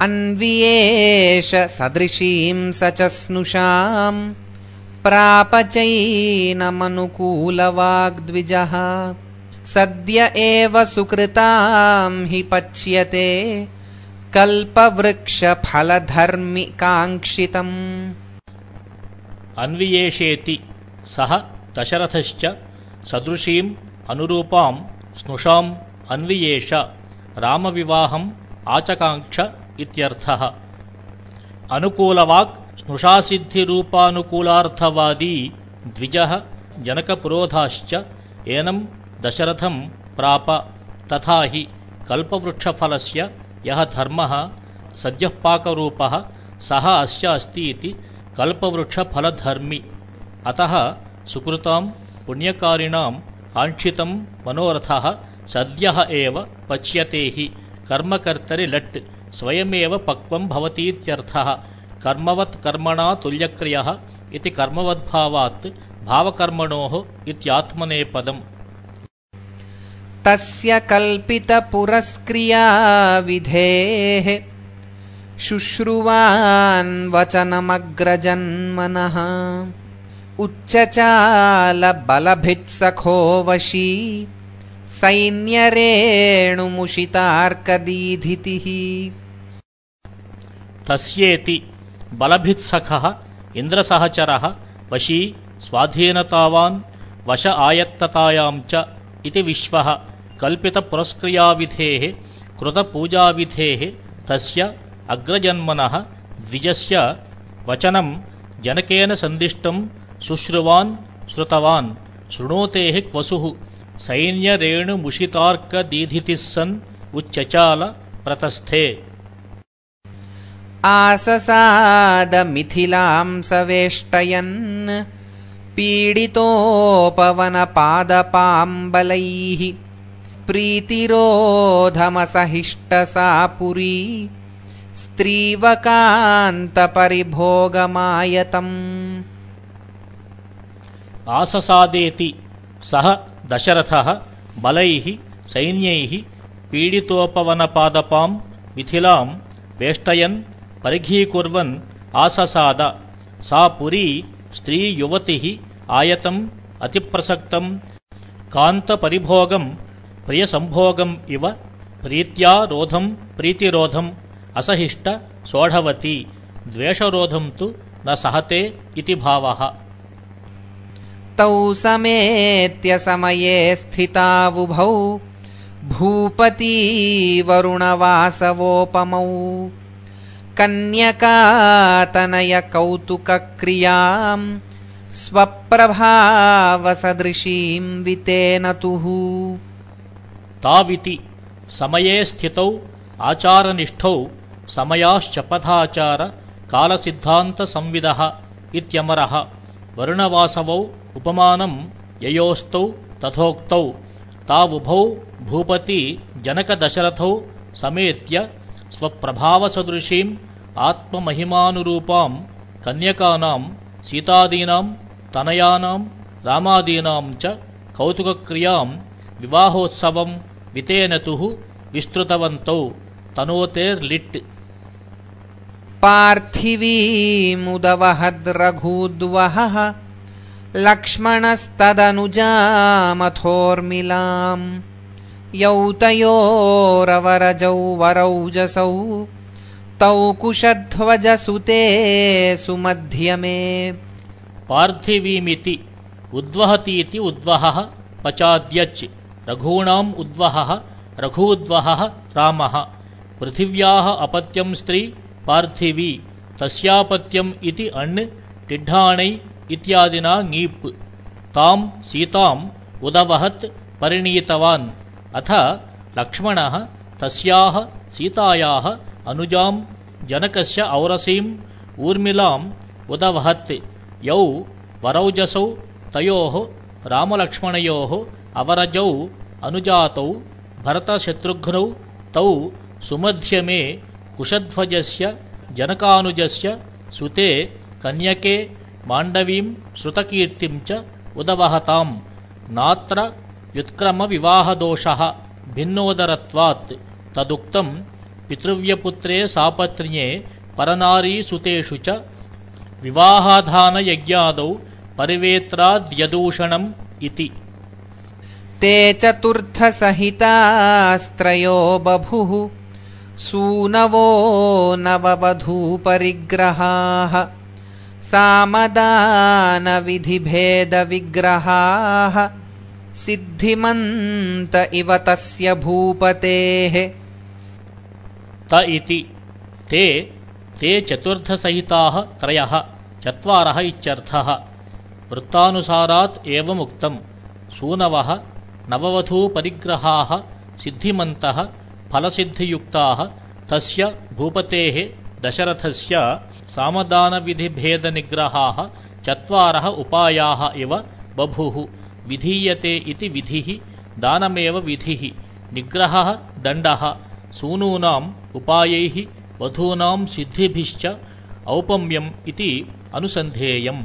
अन्वियेष सदृशीं स च स्नुषां प्रापचैनमनुकूलवाग्द्विजः सद्य एव सुकृतां हि पच्यते कल्पवृक्षफलधर्मि काङ्क्षितम्। अन्वियेषेति सः दशरथश्च सदृशीम् अनुरूपां स्नुषाम् अन्वियेष रामविवाहम् आचकाङ्क्ष इत्यर्थः। अनुकूलवाक् स्नुषासिद्धिरूपानुकूलार्थवादी द्विजः जनकपुरोधाश्च एनं दशरथं प्राप। तथा हि कल्पवृक्षफलस्य यः धर्मः सद्यःपाकरूपः सः अस्य अस्ति इति कल्पवृक्षफलधर्मि। अतः सुकृतां पुण्यकारिणां काङ्क्षितं मनोरथः सद्यः एव पच्यते हि कर्मकर्तरि लट् स्वयमेव पक्वं भवतीत्यर्थः। कर्मवत् कर्मणा तुल्यक्रियः इति कर्मवद्भावात् भावकर्मणोः इत्यात्मनेपदम्। तस्य कल्पितपुरस्क्रियाविधेः शुश्रुवान् वचनमग्रजन्मनः उच्चचालबलभित्सखो वशी सैन्यरेणुमुषितार्कदीधितिः। तस्येति बलभित्सखः इन्द्रसहचरः वशी स्वाधीनतावान् वश आयत्ततायां च इति विश्वः कल्पितपुरस्क्रियाविधेः कृतपूजाविधेः तस्य अग्रजन्मनः द्विजस्य वचनं जनकेन सन्दिष्टं शुश्रुवान् श्रुतवान् शृणोतेः क्वसुः सैन्यरेणुमुषितार्कदीधितिः सन् उच्चचाल प्रतस्थे। आससादमिथिलां सवेष्टयन् पीडितोपवनपादपाम्बलैः प्रीतिरोधमसहिष्टसा पुरी स्त्रीवकान्तपरिभोगमायतम्। आससादेति सः दशरथः बलैः सैन्यैः पीडितोपवनपादपां मिथिलां वेष्टयन् परिघीकुर्वन् आससाद। सा पुरी स्त्रीयुवतिः आयतम् अतिप्रसक्तं कान्तपरिभोगं प्रियसंभोगम् इव प्रीत्या रोधं प्रीतिरोधम् असहिष्ट सोढवती द्वेषरोधं तु न सहते इति भावः। तौ समेत्य समये स्थितावुभौ भूपती वरुणवासवोपमौ कन्यकातनय कौतुकक्रियां स्वप्रभावसदृशीं वितेनतुः। ताविति समये स्थितौ आचारनिष्ठौ समयाश्चपथाचार कालसिद्धान्तसंविदः इत्यमरः वरुणवासवौ उपमानं ययोस्तौ तथोक्तौ तावुभौ भूपति जनकदशरथौ समेत्य स्वप्रभावसदृशीम् आत्ममहिमानुरूपां कन्यकानां सीतादीनां तनयानां रामादीनां च कौतुकक्रियां विवाहोत्सवं वितेनतुः विस्तृतवन्तौ तनोतेर्लिट्। पार्थिवीमुदवहद्रघूद्वहः लक्ष्मणस्तदनुजामथोर्मिलाम् यौतयोरवरजौ वरौजसौ तौ कुशध्वजसुते सुमध्यमे। पार्थिवीमिति उद्वहतीति उद्वहः पचाद्यच् रघूणाम् उद्वहः रघूद्वहः रामः पृथिव्याः अपत्यं स्त्री पार्थिवी तस्यापत्यम् इति अण् टिड्ढाणै इत्यादिना ङीप्। तां सीताम् उदवहत् परिणीतवान्। अथ लक्ष्मणः तस्याः सीतायाः अनुजां जनकस्य औरसीम् ऊर्मिलाम् उदवहत्। यौ वरौजसौ तयोः रामलक्ष्मणयोः अवरजौ अनुजातौ भरतशत्रुघ्नौ तौ सुमध्यमे कुशध्वजस्य जनकानुजस्य सुते कन्यके माण्डवीं श्रुतकीर्तिं च उदवहताम्। नात्र व्युत्क्रमविवाहदोषः भिन्नोदरत्वात् तदुक्तं पितृव्यपुत्रे सापत्न्ये परनारीसुतेषु च विवाहाधानयज्ञादौ परिवेत्राद्यदूषणम् इति। ते चतुर्थसहितास्त्रयो बभुः सूनवो नववधूपरिग्रहाः सामदानविधिभेदविग्रहाः सिद्धिमन्त इव तस्य भूपतेः। त इति ते चतुर्थसहिताः त्रयः चत्वारः इत्यर्थः। वृत्तानुसारात् एवमुक्तम्। सूनवः नववधूपरिग्रहाः सिद्धिमन्तः फलसिद्धियुक्ताः तस्य भूपतेः दशरथस्य सामदानविधिभेदनिग्रहाः चत्वारः उपायाः इव बभुः। विधीयते इति विधिः दानमेव विधिः। निग्रहः दण्डः। सूनूनाम् उपायैः वधूनां सिद्धिभिश्च औपम्यम् इति अनुसन्धेयम्।